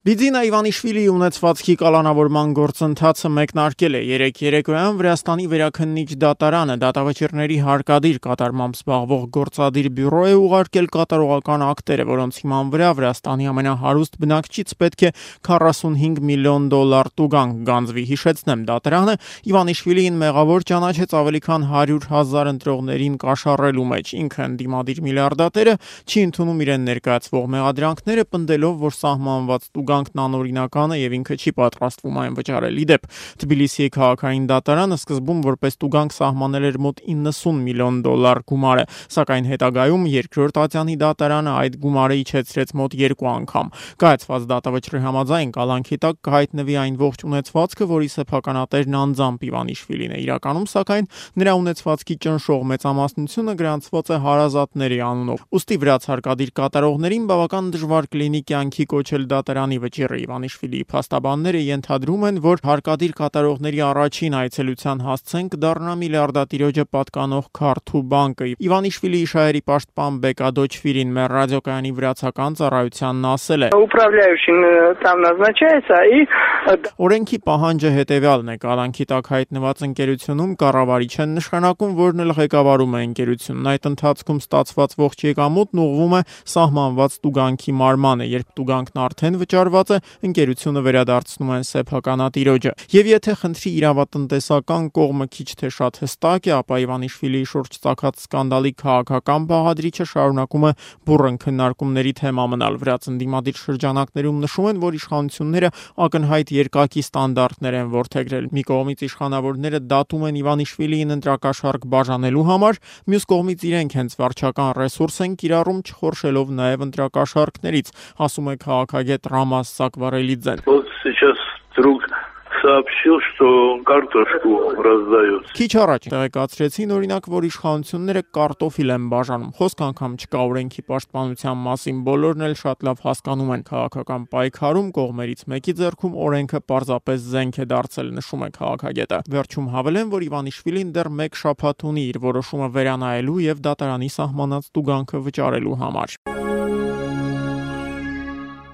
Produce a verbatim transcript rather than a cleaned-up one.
Բիձինա Իվանիշվիլիի ունեցվածքի կալանավորման գործընթացը մեկնարկել է երեկ երեկոյան Վրաստանի վերաքննիչ դատարանը դատավճիռների հարկադիր կատարմամբ զբաղվող գործադիր բյուրո է ուղարկել կատարողական ակտերը, որոնց հիման վրա Վրաստանի ամենահարուստ բնակչից պետք է քառասունհինգ միլիոն դոլար տուգանք գանձվի։ Հիշեցնեմ, դատարանը Իվանիշվիլիին մեղավոր ճանաչեց ավելի քան հարյուր հազար ընտրողներին կաշառելու մեջ։ Ինքը ընդդիմադիր միլիարդատերը չի ընդունում իրեն ներկայացվող մեղադրանքները, պնդելով, որ սահմանված տուգանքն անօրինական է եւ ինքը չի պատրաստվում այն վճարել։ Ի դեպ, Թբիլիսիի քաղաքային դատարանը սկզբում որպես տուգանք սահմանել էր մոտ իննսուն միլիոն դոլար գումարը, սակայն հետագայում երկրորդ ատյանի դատարանը այդ գումարը իջեցրեց մոտ երկու անգամ։ Կայացված դատավճռի համաձայն կալանքի տակ կհայտնվի այն ողջ ունեցվածքը, որի սեփականատերն անձամբ Իվանիշվիլին է։ Իրականում, սակայն, նրա ունեցվածքի ճնշող մեծամասնությունը գրանցված է հարազատների անունով։ Ուստի վրաց հարկադիր կատարողներին բավական դժվար կլինի կյանքի կոչել դատարանի վճիռը։ Իվանիշվիլիի փաստաբանները ենթադրում են, որ հարկադիր կատարողների առաջին այցելության հասցեն կդառնա միլիարդատիրոջը պատկանող Քարթու բանկը։ Իվանիշվիլիի շահերի պաշտպան Բեկադոչվիրին մեր ռադիոկայանի վրացական ծառայությանն ասել է. Օրենքի պահանջը հետևյալն է. կալանքի տակ հայտնված ընկերությունում կառավարիչ են նշանակում, որն էլ ղեկավարում է ընկերությունն։ Այդ ընթացքում ստացված ողջ եկամուտն ուղղվում է սահմանված տուգանքի մարմանը, երբ տուգանքն արդեն վճարված է, ընկերությունը վերադարձնում են սեփականատիրոջը։ Եվ եթե խնդրի իրավատնտեսական կողմը քիչ թե շատ հստակ է, ապա Իվանիշվիլիի շուրջ ծագած սկանդալի քաղաքական բաղադրիչը շարունակում է բուռն քննարկումների թեմա մնալ։ Վրաց ընդդիմադիր շրջանակներում նշում են, որ իշխանությունները ակնհայտ երկակի ստանդարտներ են որդեգրել։ Մի կողմից իշխանավորները դատում են Իվանիշվիլիին ընտրակաշառք բաժանելու համար, մյուս կողմից իրենք հենց վարչական ռեսուրս են կիրառում, չխորշելով նաև ընտրակաշառքներից, ասում է քաղաքագետ Ռամազ Սակվարելիձեն։ Сообщил, что картошку раздают. Քիչ առաջ տեղեկացրեցին, օրինակ, որ իշխանությունները կարտոֆիլ են բաժանում։ Խոսք անգամ չկա օրենքի պաշտպանության մասին, բոլորն էլ շատ լավ հասկանում են քաղաքական պայքարում կողմերից մեկի ձեռքում օրենքը պարզապես զենք է դարձել, նշում է քաղաքագետը։ Վերջում հավելեն, որ Իվանիշվիլին դեռ մեկ շաբաթ ունի իր որոշումը վերանայելու եւ դատարանի սահմանած տուգանքը վճարելու համար։